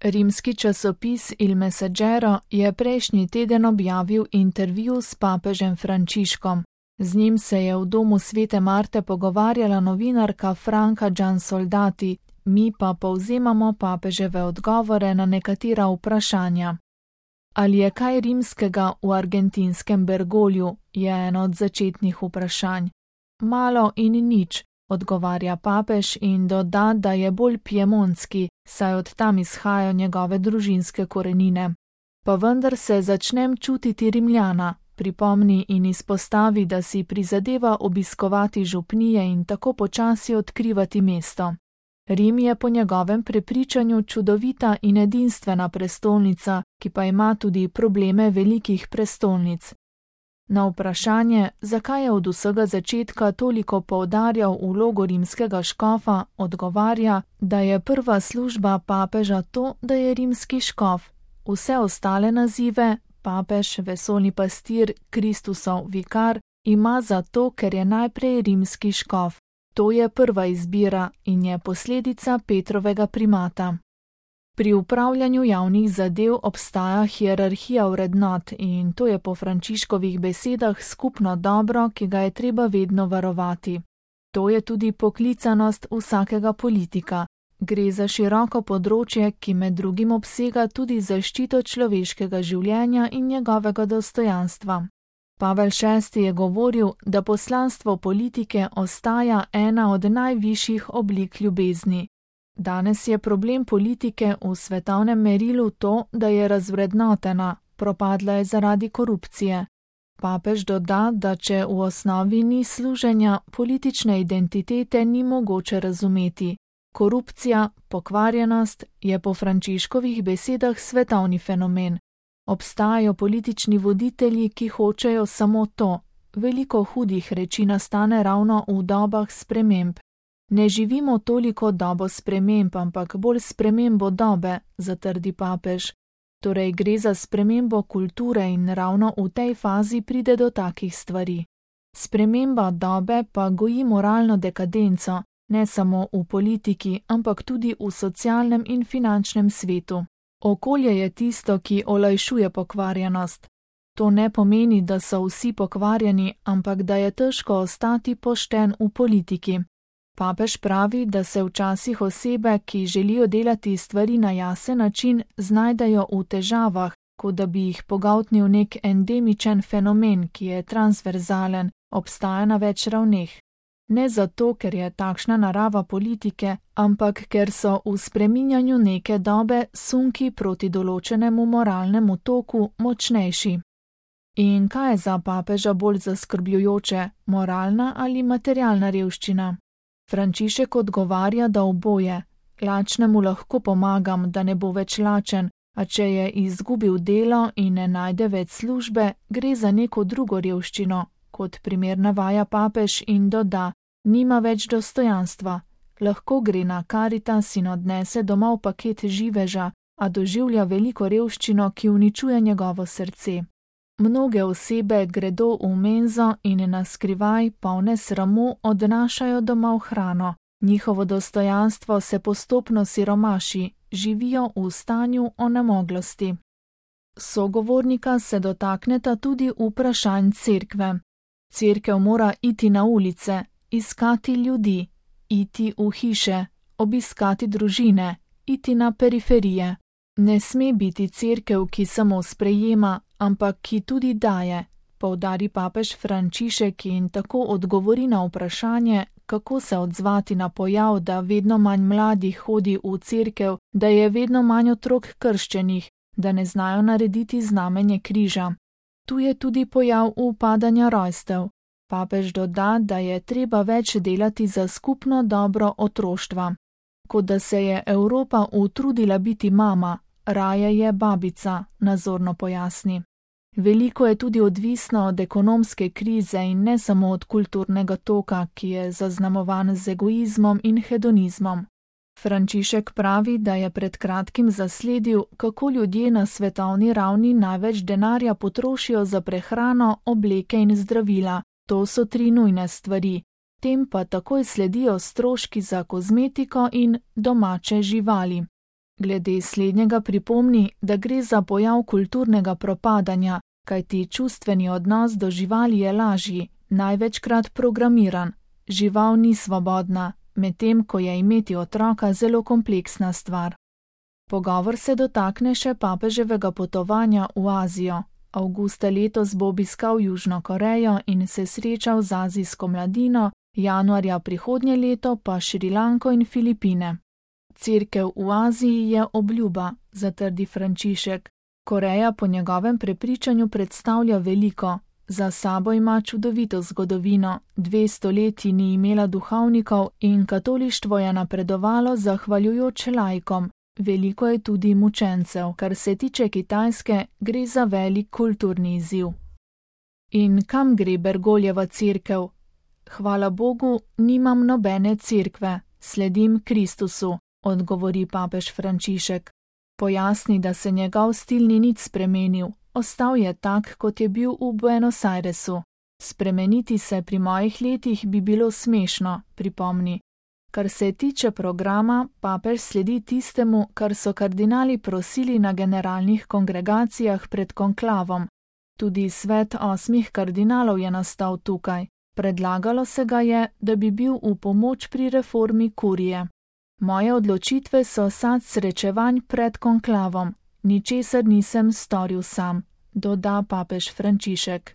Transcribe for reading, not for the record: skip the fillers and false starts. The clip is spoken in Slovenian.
Rimski časopis Il Messaggero je prejšnji teden objavil intervju s papežem Frančiškom. Z njim se je v domu Svete Marte pogovarjala novinarka Franca Giansoldati, mi pa povzemamo papeževe odgovore na nekatera vprašanja. Ali je kaj rimskega v argentinskem Bergolju, je eno od začetnih vprašanj. Malo in nič, odgovarja papež in doda, da je bolj piemontski, saj od tam izhajajo njegove družinske korenine. Pa vendar se začnem čutiti Rimljana, pripomni in izpostavi, da si prizadeva obiskovati župnije in tako počasi odkrivati mesto. Rim je po njegovem prepričanju čudovita in edinstvena prestolnica, ki pa ima tudi probleme velikih prestolnic. Na vprašanje, zakaj je od vsega začetka toliko poudarjal vlogo rimskega škofa, odgovarja, da je prva služba papeža to, da je rimski škof. Vse ostale nazive, papež, vesoljni pastir, Kristusov vikar, ima zato, ker je najprej rimski škof. To je prva izbira in je posledica Petrovega primata. Pri upravljanju javnih zadev obstaja hierarhija vrednot in to je po Frančiškovih besedah skupno dobro, ki ga je treba vedno varovati. To je tudi poklicanost vsakega politika. Gre za široko področje, ki med drugim obsega tudi zaščito človeškega življenja in njegovega dostojanstva. Pavel VI je govoril, da poslanstvo politike ostaja ena od najvišjih oblik ljubezni. Danes je problem politike v svetovnem merilu to, da je razvrednotena, propadla je zaradi korupcije. Papež doda, da če v osnovi ni služenja, politične identitete ni mogoče razumeti. Korupcija, pokvarjenost je po Frančiškovih besedah svetovni fenomen. Obstajajo politični voditelji, ki hočejo samo to. Veliko hudih reči nastane ravno v dobah sprememb. Ne živimo toliko dobo sprememb, ampak bolj spremembo dobe, zatrdi papež. Torej gre za spremembo kulture in ravno v tej fazi pride do takih stvari. Sprememba dobe pa goji moralno dekadenco, ne samo v politiki, ampak tudi v socialnem in finančnem svetu. Okolje je tisto, ki olajšuje pokvarjenost. To ne pomeni, da so vsi pokvarjeni, ampak da je težko ostati pošten v politiki. Papež pravi, da se včasih osebe, ki želijo delati stvari na jasen način, znajdejo v težavah, kot da bi jih pogoltnil nek endemičen fenomen, ki je transverzalen, obstaja na več ravneh. Ne zato, ker je takšna narava politike, ampak ker so v spreminjanju neke dobe sunki proti določenemu moralnemu toku močnejši. In kaj je za papeža bolj zaskrbljujoče, moralna ali materialna revščina? Frančišek odgovarja, da oboje. Lačnemu lahko pomagam, da ne bo več lačen, a če je izgubil delo in ne najde več službe, gre za neko drugo revščino, kot primer navaja papež in doda, nima več dostojanstva. Lahko gre na Karitas in odnese domov paket živeža, a doživlja veliko revščino, ki uničuje njegovo srce. Mnoge osebe gredo v menzo in na skrivaj, polne sramu, odnašajo domov hrano. Njihovo dostojanstvo se postopno siromaši, živijo v stanju onemoglosti. Sogovornika se dotakneta tudi vprašanj cerkve. Cerkev mora iti na ulice, iskati ljudi, iti v hiše, obiskati družine, iti na periferije. Ne sme biti cerkev, ki samo sprejema, ampak ki tudi daje, poudari papež Frančišek in tako odgovori na vprašanje, kako se odzvati na pojav, da vedno manj mladih hodi v cerkev, da je vedno manj otrok krščenih, da ne znajo narediti znamenje križa. Tu je tudi pojav upadanja rojstev. Papež doda, da je treba več delati za skupno dobro otroštva. Kot da se je Evropa utrudila biti mama, raje je babica, nazorno pojasni. Veliko je tudi odvisno od ekonomske krize in ne samo od kulturnega toka, ki je zaznamovan z egoizmom in hedonizmom. Frančišek pravi, da je pred kratkim zasledil, kako ljudje na svetovni ravni največ denarja potrošijo za prehrano, obleke in zdravila. To so 3 nujne stvari. Tem pa takoj sledijo stroški za kozmetiko in domače živali. Glede slednjega pripomni, da gre za pojav kulturnega propadanja, kajti čustveni odnos do živali je lažji, največkrat programiran. Žival ni svobodna, medtem ko je imeti otroka zelo kompleksna stvar. Pogovor se dotakne še papeževega potovanja v Azijo. Avgusta letos bo obiskal Južno Korejo in se srečal z azijsko mladino, januarja prihodnje leto pa Šrilanko in Filipine. Cerkev v Aziji je obljuba, zatrdi Frančišek. Koreja po njegovem prepričanju predstavlja veliko. Za sabo ima čudovito zgodovino, 200 let ni imela duhovnikov in katolištvo je napredovalo zahvaljujoč laikom. Veliko je tudi mučencev, kar se tiče Kitajske, gre za velik kulturni izziv. In kam gre Bergoljeva cerkev? Hvala Bogu, nimam nobene cerkve, sledim Kristusu, odgovori papež Frančišek. Pojasni, da se njegov stil ni nič spremenil, ostal je tak, kot je bil v Buenos Airesu. Spremeniti se pri mojih letih bi bilo smešno, pripomni. Kar se tiče programa, papež sledi tistemu, kar so kardinali prosili na generalnih kongregacijah pred konklavom. Tudi svet 8 kardinalov je nastal tukaj. Predlagalo se ga je, da bi bil v pomoč pri reformi kurije. Moje odločitve so sad srečevanj pred konklavom. Ničesar nisem storil sam, doda papež Frančišek.